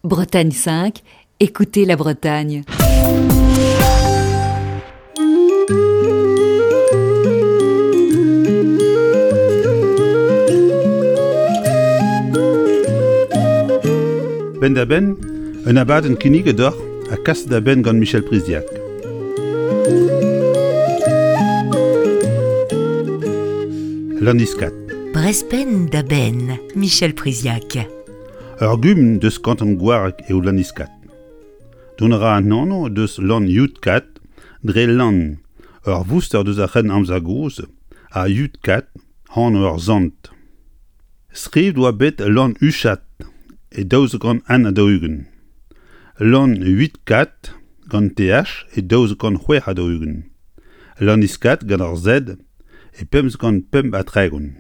Bretagne 5, écoutez la Bretagne. Penn-da-benn, un abadenn kinniget deoc'h ha kaset da benn gant Michel Priziac. Lanniskad. Brest penn-da-benn, Michel Priziac. Ur gumun deus kanton Gwareg eo Lanniskad. Dont a ra an anv deus Lann-Youdkad dre lann, ur vouster deus ar C'hrenn-amzer gozh, ha Youdkad, anv ur sant. Skrivet oa bet Lann-Uchad e 1241, Lann-Huitkad gant TH e 1246, Lanniskad gant ur Z e 1535.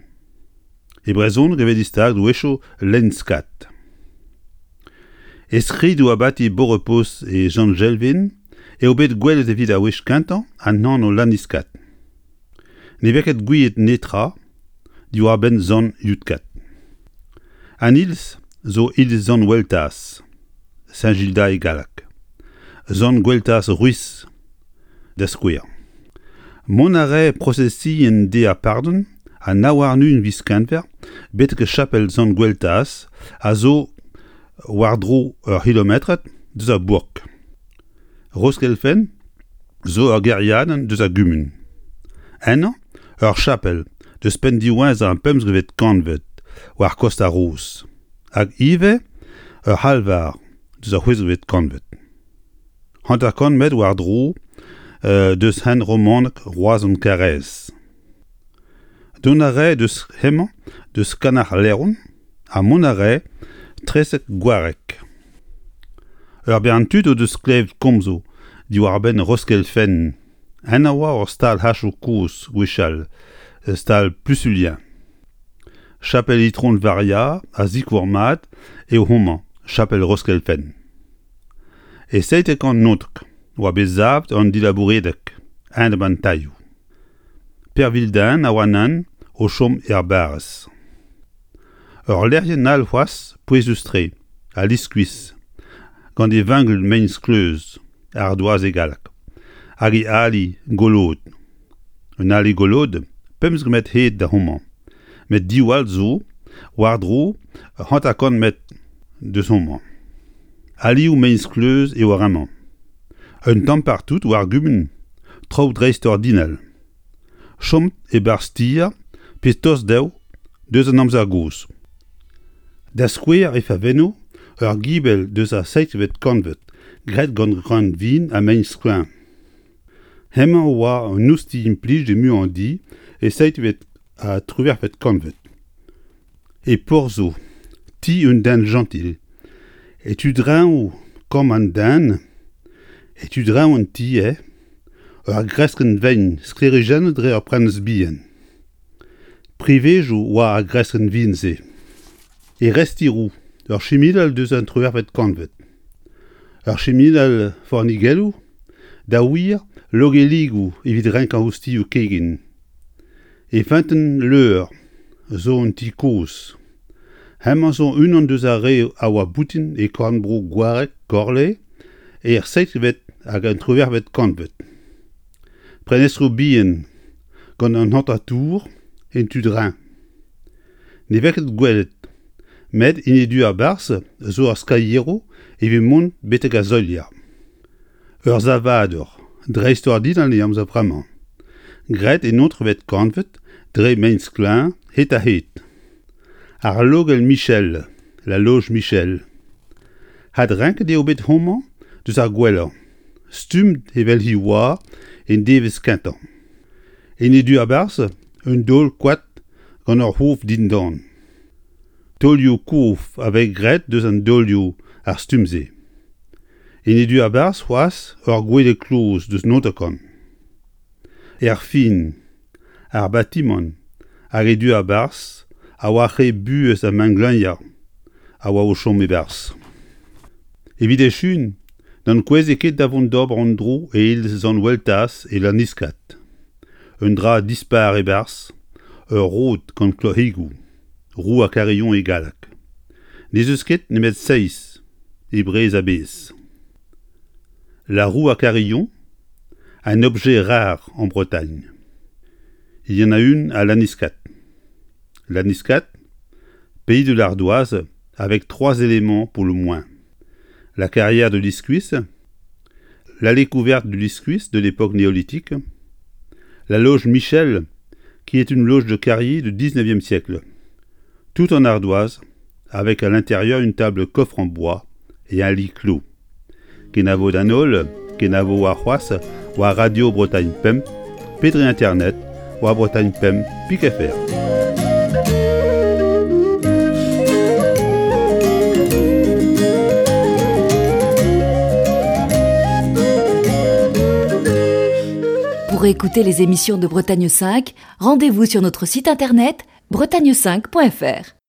E brezhoneg e vez distaget a-wechoù Lenskad. E skridoù abati Beaurepos e Sant-Jelven eo bet gwelet evit ar wech kentañ an anv Lanniskad. Ne vez ket gouiet netra diwar-benn Sant Yudkad. An iliz zo iliz Sant Weltaz, Saint-Gildas e galleg, Sant Gweltaz Ruiz da skouer. Mont a rae prosesien deiz ar pardon an nav warn-ugent viz Kenver betek chapel Sant Gweltaz a zo war-dro ur c'hilometrad deus ar bourk. Roskelfenn zo ur gêriadenn deus ar gumun. Ennañ ur chapel deus penn diwezhañ ar pemzekvet kantved war kost ar Roz hag ivez ur c'halvar deus ar c'hwezekvet kantved. 50 metr war-dro deus hent romanek Roazhon-Karaez. Dont a rae deus hemañ deus Kanac'h-Leron ha mont a rae 'tresek Gwareg. Ur bern tud o deus klevet komzoù diwar-benn Roskelfenn. En a oa ur stal-hachoù kozh gwechall, stal Plusulien. Chapel Itron Varia a zikour mat eo homañ, chapel Roskelfenn. E 97 oa bet savet an dilabouredeg enep an tailhoù. Per Vildain a oa anezhañ o chom er barrez. Ur lec'hienn all c'hoazh pouezus-tre, al Liskuizh, gant e vengel mein-skleuz, ardoaz e galleg, hag e ali golod. Un ali golod 15 metr hed da homañ, met div all zo war-dro 50 metr deus homañ. Alioù mein-skleuz eo ar re-mañ. Un tamm partout war gumun, traoù dreistordinal. Chom e-barzh tier pe tost dezho deus an amzer gozh. Da skouer e Favenno ur gibell deus ar seizhvet kantved graet gant greun vin ha mein-sklaer. Hemañ a oa un oustilh implijet muiañ-di e seizhvet ha triwec'hvet kantved. E Porzho, ti un den jentil, e tu-dreñv kambr an den, e tu-dreñv an ti eo, ur greskenn vein sklêrijennet dre ur prenestr bihan. Privezoù oa ar greskenn vihan-se. E Restiroù, ur chiminal deus an triwec'hvet kantved. Ur chiminal fornigelloù, da wir logelligoù evit renkañ ostilhoù kegin. E Feunteun-Leur zo un ti kozh. Hemañ zo unan deus ar re a oa boutin e korn-bro Gwareg Korle er seizhvet hag an triwec'hvet kantved. Prenestroù bihan gant un hanter-tour en tu dreñv. Ne vez ket gwelet, met en e du a-barzh zo ur skalieroù evit mont betek ar solier. Ur savadur dreistordinal e amzer vremañ, graet en eontrevet kantved dre mein-sklaer hed-ha-hed. Ar logell Michel, la loge Michel. Adrenket eo bet homañ deus ar gwellañ, stumm evel he oa en devezh kentañ. En e du a-barzh, un daol koad gant ur c'hof dindan. Taolioù-kof a vez graet deus an daolioù ar stumm-se. En e du a-barzh c'hoazh ur gwele kloz deus Nontacant. Erfin, ar batimant hag e du a-barzh a oa re buhez ha mengleuniañ a oa o chom e-barzh. Evit echuiñ, n'ankoueze ket da vont d'ober an dro e iliz Sant-Weltaz e Lanniskad. Un dra dispar e-barzh, ur rod gant kloc'higoù, roue ha Carillon e galleg. N'ez eus ket nemet seizh. e Breizh a-bezh. La roue à carillon, un objet rare en Bretagne. Il y en a une à Lanniskad. Lanniskad, pays de l'ardoise, avec trois éléments pour le moins. La carrière de l'Iscuis, l'allée couverte du Liscuis de l'époque néolithique, la loge Michel, qui est une loge de carrier du 19e siècle, tout en ardoise, avec à l'intérieur une table coffre en bois et un lit clos. Kenavo d'an holl, kenavo warc'hoazh war Radio Bretagne Pemp pe dre internet war Bretagne Pemp pik fr. Pour écouter les émissions de Bretagne 5, rendez-vous sur notre site internet bretagne5.fr.